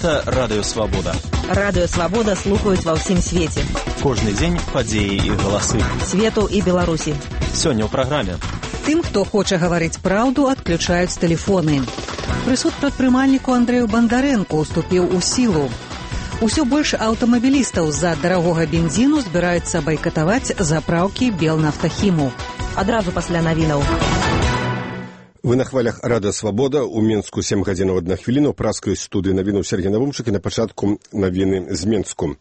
Гэта Радыё Свабода. Радыё Свабода слухаюць ва ўсім свеце. Кожны дзень падзеі і галасы. Свету і Беларусі. Сёння ў праграме. Тым, хто хоча гаварыць праўду, адключаюць тэлефоны. Прысуд прадпрымальніку Андрэю Бандарэнку уступіў у сілу. Усё больш аўтамабілістаў з-за дарагога бензіну збіраюцца байкатаваць запраўкі Белнафтахіму. Адразу пасля навінаў. Вы на хвалях Радыё Свабода. У Менску 7 гадзінаў 1 хвіліну. Праскай студыі навінаў Сергей Навумчык і на пачатку навіны з Менску.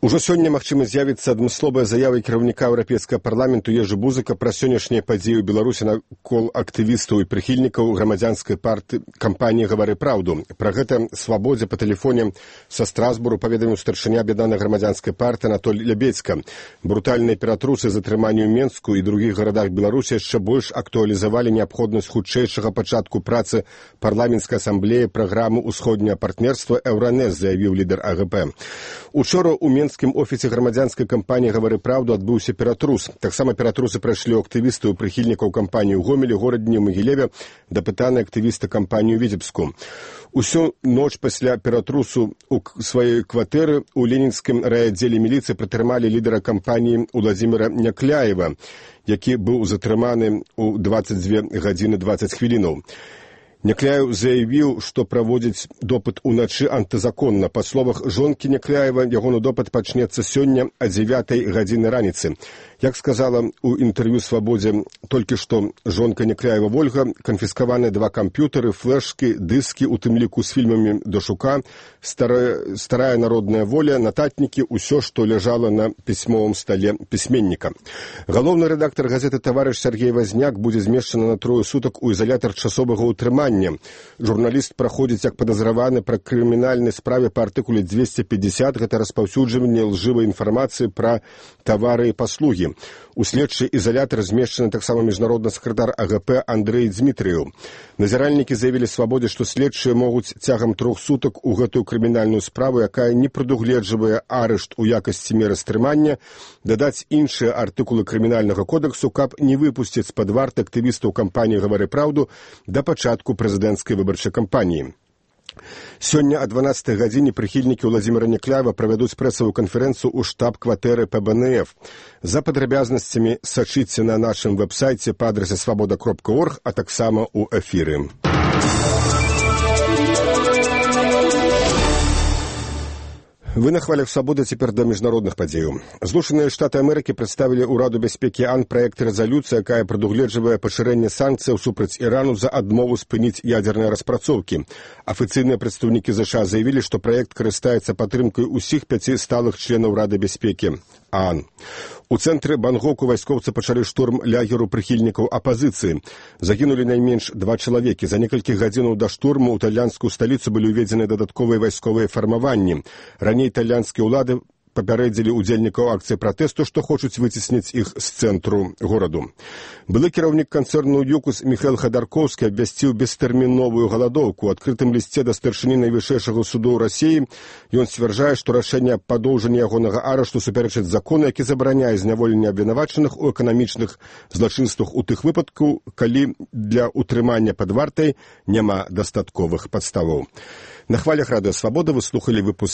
Ужо сёння, магчыма, з'явіцца адмысловая заява кіраўніка Еўрапейскага парламенту Ежы Бузыка пра сённяшнія падзеі ў Беларусі накол актывістаў і прыхільнікаў грамадзянскай кампаніі «Гавары праўду». Пра гэта Свабодзе па тэлефоне са Страсбуру паведаміў старшыня аб'яднанай грамадзянскай партыі Анатоль Лябедзька. Брутальныя ператрусы затрымання ў Менску і другіх гарадах Беларусі яшчэ больш актуалізавалі неабходнасць хутчэйшага пачатку працы парламенцкай асамблеі праграмы ўсходняга партнерства «Еўранэс», заявіў лідар АГП. Учора ў Менскім офісе грамадзянскай кампаніі «Гавары праўду» адбыўся ператрус. Таксама ператрусы прайшлі ў актывістаў і прыхільнікаў кампаніі ў Гомелі, Горадні, Магілеве, дапытаны актывісты кампаніі ў Віцебску. Усю ноч пасля ператрусу ў сваёй кватэры ў ленінскім райаддзеле міліцыі пратрымалі лідара кампаніі Уладзіміра Някляева, які быў затрыманы ў 22 гадзіны 20 хвілінаў. Някляев заявіў, што праводзіць допыт уначы антызаконна. Па словах жонкі Някляева, ягоны допыт пачнецца сёння о 9 гадзіны раніцы. Як сказала ў інтэрв'ю Свабодзе толькі што жонка Някляева Вольга, канфіскаваны 2 камп'ютары, флешкі, дыскі, у тым ліку з фільмамі Дашука, старая народная воля, нататнікі, усё, што ляжала на пісьмовым стале пісьменніка. Галоўны рэдактар газеты «Таварыш» Сергей Вазняк будзе змешчаны на 3 сутак у ізалятар часовага ўтрымання. Журналіст праходзіць як падазраваны пра крымінальнай справе па артыкуле 250, гэта распаўсюджванне лжывай інфармацыі пра тавары і паслугі. У следчы ізалятар змешчаны таксама міжнародны сакратар АГП Андрэй Дзмітрыеў. Назіральнікі заявілі Свабодзе, што следчыя могуць цягам 3 сутак у гэтую крымінальную справу, якая не прадугледжвае арышт у якасці меры стрымання, дадаць іншыя артыкулы крымінальнага кодексу, каб не выпусціць з-пад варты актывістаў кампаніі «Гавары праўду» да пачатку прэзідэнцкай выбарчай кампаніі. Сёння о 12 гадзіне прыхільнікі Уладзіміра Някляева правядуць прэсавую канферэнцыю ў штаб-кватэры ПБНФ. За падрабязнасцямі сачыце на нашым вэб-сайце па адрасе свабода.орг, а таксама ў эфіры. Вы на хвалях Свабоды, цяпер да міжнародных падзеяў. Злучаныя Штаты Амерыкі прадставілі ўраду бяспекі АН праект рэзалюцыі, якая прадугледжвае пашырэнне санкцыяў супраць Ірану за адмову спыніць ядзерныя распрацоўкі. Афіцыйныя прадстаўнікі ЗША заявілі, што праект карыстаецца падтрымкай усіх 5 сталых членаў Рады бяспекі АН. У цэнтры Бангоку вайскоўцы пачалі штурм лагеру прыхільнікаў апазіцыі. Загінулі найменш 2 чалавекі. За некалькі гадзінаў да штурму ў італьянскую сталіцу былі ўведзены дадатковыя вайсковыя фармаванні. Раней італьянскія ўлады папярэдзілі удзельнікаў акцыі пратэсту, што хочуць выцесніць іх з цэнтру гораду. Былы кіраўнік канцэрну «Юкус» Міхаэл Хадаркоўскі абвясціў бестэрміновую галадоўку. У адкрытым лісце да старшыні найвышэйшага суду ў Расіі ён сцвярджае, што рашэнне аб падоўжанні ягонага арышту супярэчыць закону, які забараняе зняволенне абвінавачаных у эканамічных злачынствах у тых выпадкаў, калі для ўтрымання пад вартай няма дастатковых падставаў. На хвалях Радыё Свабода вы слухалі выпуск